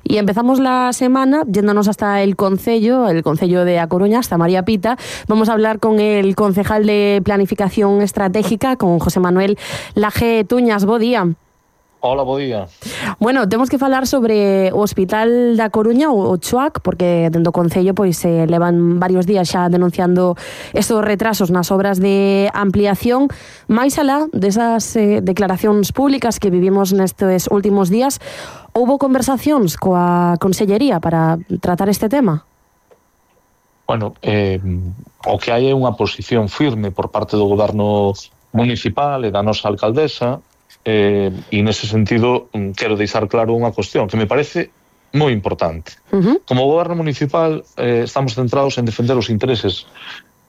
Y empezamos la semana yéndonos hasta el Concello de A Coruña, hasta María Pita. Vamos a hablar con el concejal de Planificación Estratégica, con José Manuel Laje Tuñas. Bo día. Hola, bo día. Bueno, temos que falar sobre o Hospital da Coruña, o CHUAC, porque dentro do Concello pois levan varios días xa denunciando estos retrasos nas obras de ampliación. Mais alá desas declaracións públicas que vivimos nestes últimos días, houbo conversacións coa Consellería para tratar este tema? Bueno, o que hai é unha posición firme por parte do goberno municipal e da nosa alcaldesa, e nese sentido quero deixar claro unha cuestión que me parece moi importante. Como goberno municipal estamos centrados en defender os intereses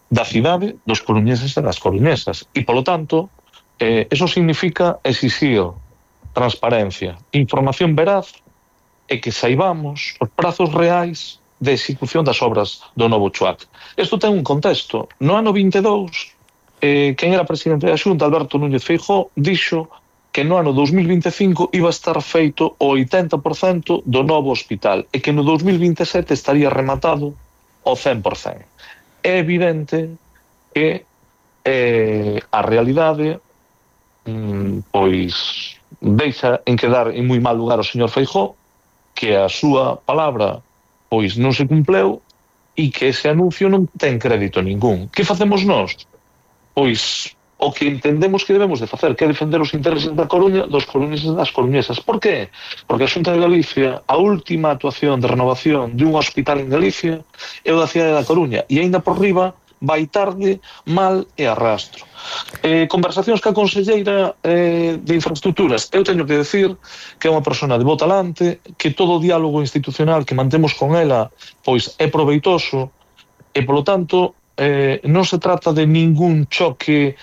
da cidade, dos coruñeses e das coruñesas, e polo tanto eso significa exixir transparencia, información veraz e que saibamos os prazos reais de execución das obras do novo CHUAC. Isto ten un contexto. No ano 22, quen era presidente da Xunta, Alberto Núñez Feijóo, dixo que no ano 2025 iba a estar feito o 80% do novo hospital e que no 2027 estaría rematado o 100%. É evidente que a realidade pois deixa en quedar en moi mal lugar o señor Feijóo, que a súa palabra pois non se cumpleu e que ese anuncio non ten crédito ningún. Que facemos nós? Pois o que entendemos que debemos de facer, que é defender os intereses da Coruña, dos coruñeses e das coruñesas. Por qué? Porque a Xunta de Galicia, a última actuación de renovación de un hospital en Galicia é o da cidade da Coruña, e aínda por riba vai tarde, mal e arrastro. Conversacións ca conselleira de infraestructuras. Eu teño que decir que é unha persona de bo talante, que todo o diálogo institucional que mantemos con ela pois é proveitoso, e polo tanto non se trata de ningún choque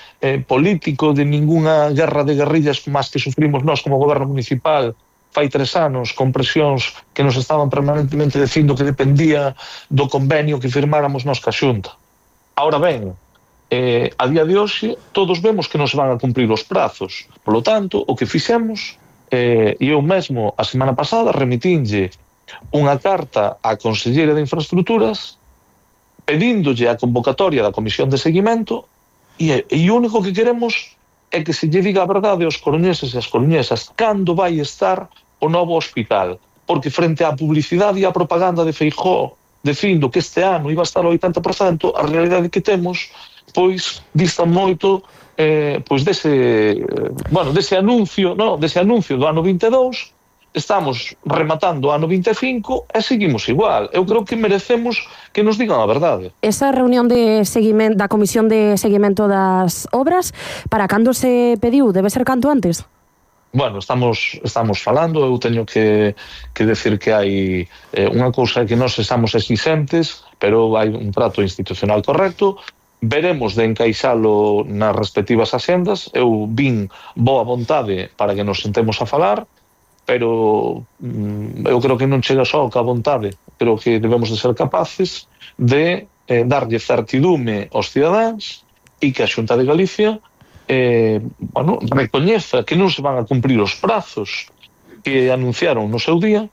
político, de ningunha guerra de guerrillas como as que sufrimos nós como goberno municipal fai 3 anos, con presións que nos estaban permanentemente dicindo que dependía do convenio que firmáramos nós ca Xunta. Ahora ben, a día de hoxe todos vemos que non se van a cumprir os prazos. Por lo tanto, o que fixemos, e eu mesmo a semana pasada remitinlle unha carta á Conselleira de Infraestructuras pedíndolle a convocatoria da Comisión de Seguimento, e o único que queremos é que se lle diga a verdade aos coruñeses e as coruñesas cando vai estar o novo hospital, porque frente á publicidade e á propaganda de Feijóo dicindo que este ano iba a estar ao 80%, a realidade que temos pois dista moito pois dese anuncio, dese anuncio do ano 22. Estamos rematando o ano 25 e seguimos igual. Eu creo que merecemos que nos digan a verdade. Esa reunión de seguimento da Comisión de Seguimento das Obras, para cando se pediu? Debe ser canto antes? Bueno, estamos falando, eu teño que decir que hai unha cousa que nós estamos exixentes, pero hai un trato institucional correcto. Veremos de encaixalo nas respectivas axendas. Eu vin boa vontade para que nos sentemos a falar, pero eu creo que non chega só ca vontade. Creo que debemos de ser capaces de darlle certidume aos cidadáns e que a Xunta de Galicia recoñeza que non se van a cumprir os prazos que anunciaron no seu día,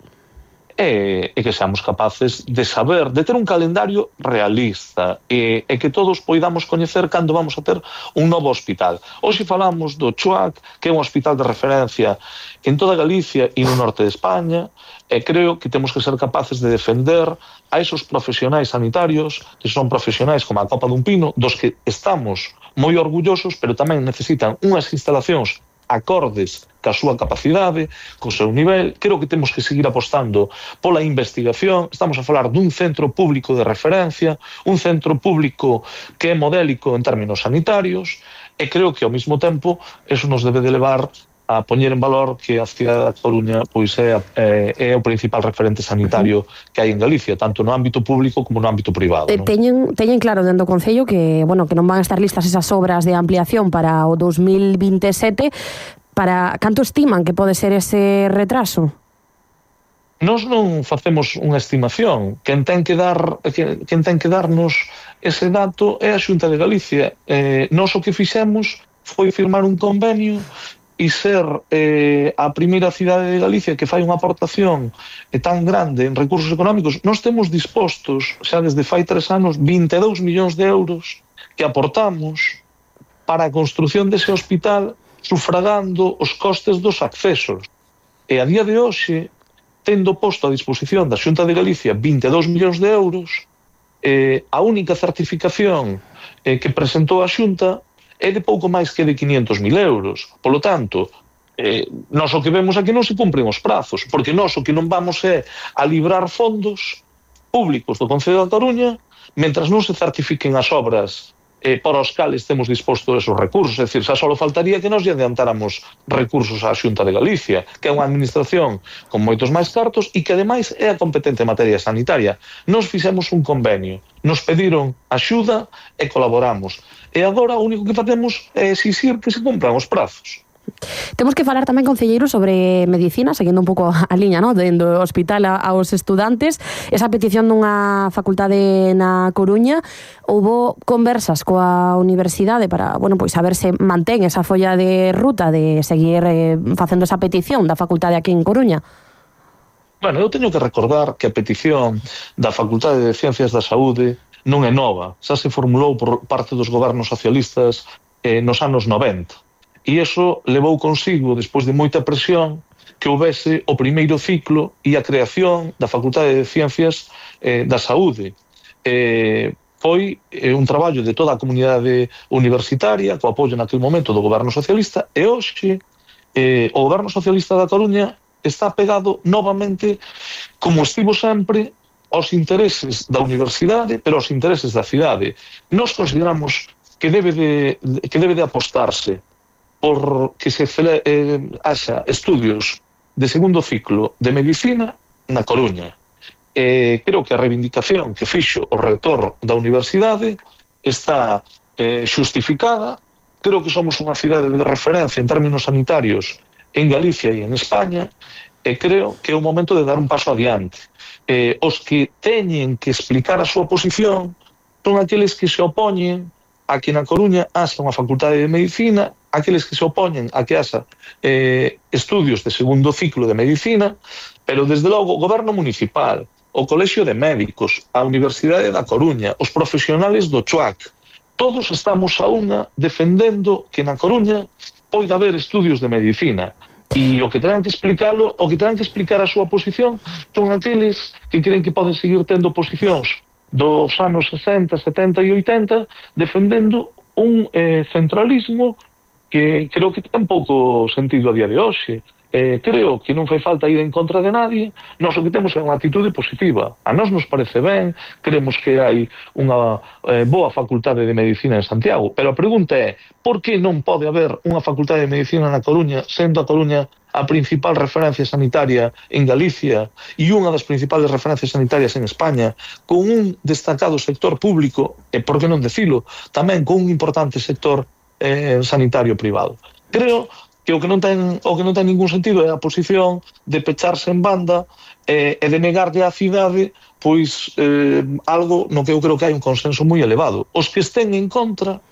e que seamos capaces de saber, de ter un calendario realista e que todos poidamos coñecer cando vamos a ter un novo hospital. Hoxe falamos do CHUAC, que é un hospital de referencia en toda Galicia e no norte de España, e creo que temos que ser capaces de defender a esos profesionais sanitarios, que son profesionais como a copa dun pino, dos que estamos moi orgullosos, pero tamén necesitan unhas instalacións acordes ca súa capacidade, co seu nivel. Creo que temos que seguir apostando pola investigación. Estamos a falar dun centro público de referencia, un centro público que é modélico en términos sanitarios, e creo que ao mesmo tempo eso nos debe de levar a poñer en valor que a cidade da Coruña pois é o principal referente sanitario que hai en Galicia, tanto no ámbito público como no ámbito privado. Teñen claro dentro do Concello que non van a estar listas esas obras de ampliación para o 2027. Para canto estiman que pode ser ese retraso? Nós non facemos unha estimación. Quen ten que darnos ese dato é a Xunta de Galicia. Nós o que fixemos foi firmar un convenio e ser a primeira cidade de Galicia que fai unha aportación tan grande en recursos económicos. Nós temos dispostos, xa desde fai 3 anos, 22 millóns de euros que aportamos para a construción dese hospital, sufragando os costes dos accesos. E a día de hoxe, tendo posto a disposición da Xunta de Galicia 22 millóns de euros, a única certificación que presentou a Xunta é de pouco máis que de 500.000 euros. Polo tanto, nós o que vemos aquí non se cumpren os prazos, porque nós o que non vamos é a librar fondos públicos do Concello da Coruña mentras non se certifiquen as obras para os cales temos disposto esos recursos. É dicir, xa só faltaría que nos lle adiantáramos recursos á Xunta de Galicia, que é unha administración con moitos máis cartos e que, ademais, é a competente en materia sanitaria. Nos fixemos un convenio, nos pediron axuda e colaboramos. E agora o único que facemos é exixir que se cumpran os prazos. Temos que falar tamén, concelleiro, sobre medicina, seguindo un pouco a liña, no, do hospital aos estudantes. Esa petición dunha facultade na Coruña, houbo conversas coa universidade para, bueno, pois a ver se mantén esa folla de ruta de seguir facendo esa petición da facultade aquí en Coruña. Bueno, eu teño que recordar que a petición da Facultade de Ciencias da Saúde non é nova, xa se formulou por parte dos gobernos socialistas nos anos 90. E iso levou consigo, despois de moita presión, que houvese o primeiro ciclo e a creación da Facultade de Ciencias da Saúde. Foi un traballo de toda a comunidade universitaria, co apoio naquele momento do goberno socialista, e hoxe o goberno socialista da Coruña está pegado novamente, como estivo sempre, aos intereses da universidade, pero aos intereses da cidade. Nós consideramos que debe de apostarse por que se haxa estudios de segundo ciclo de medicina na Coruña. Creo que a reivindicación que fixo o rector da universidade está xustificada. Creo que somos unha cidade de referencia en términos sanitarios en Galicia e en España, e creo que é o momento de dar un paso adiante. Os que teñen que explicar a súa posición son aqueles que se opoñen a que na Coruña haxa unha facultade de medicina, aqueles que se opoñen a que haxa estudios de segundo ciclo de medicina, pero desde logo o goberno municipal, o Colexio de Médicos, a Universidade da Coruña, os profesionales do CHUAC, todos estamos a unha defendendo que na Coruña poida haber estudios de medicina. E o que terán que explicalo, o que terán que explicar a súa posición son aqueles que creen que poden seguir tendo posicións dos anos 60, 70 e 80 defendendo un centralismo que creo que ten pouco sentido a día de hoxe. Creo que non fai falta ir en contra de nadie. Nós o que temos é unha actitude positiva. A nós nos parece ben, creemos que hai unha boa facultade de medicina en Santiago, pero a pregunta é, por que non pode haber unha facultade de medicina na Coruña, sendo a Coruña a principal referencia sanitaria en Galicia e unha das principales referencias sanitarias en España, con un destacado sector público, e por que non decilo, tamén con un importante sector sanitario privado. Creo que o que non ten ningún sentido é a posición de pecharse en banda e de negarlle á cidade pois algo no que eu creo que hai un consenso moi elevado. Os que estén en contra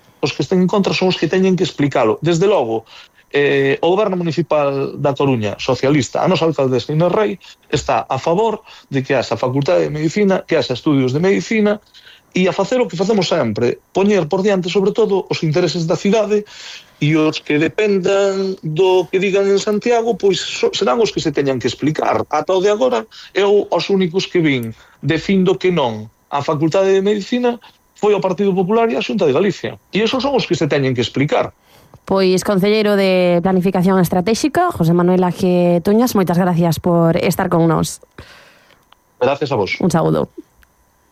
son os que teñen que explicalo. Desde logo, o goberno municipal da Coruña, socialista, a nosa alcaldesa Inés Rei, está a favor de que haxa facultade de medicina, que haxa estudios de medicina, e a facer o que facemos sempre, poñer por diante, sobre todo, os intereses da cidade, e os que dependan do que digan en Santiago, pois serán os que se teñan que explicar. Ata o de agora, eu os únicos que vin dicindo que non á Facultade de Medicina foi o Partido Popular e a Xunta de Galicia. E esos son os que se teñen que explicar. Pois, concelleiro de Planificación Estratégica, José Manuel Aje Toñas, moitas gracias por estar con nós. Gracias a vos. Un saúdo.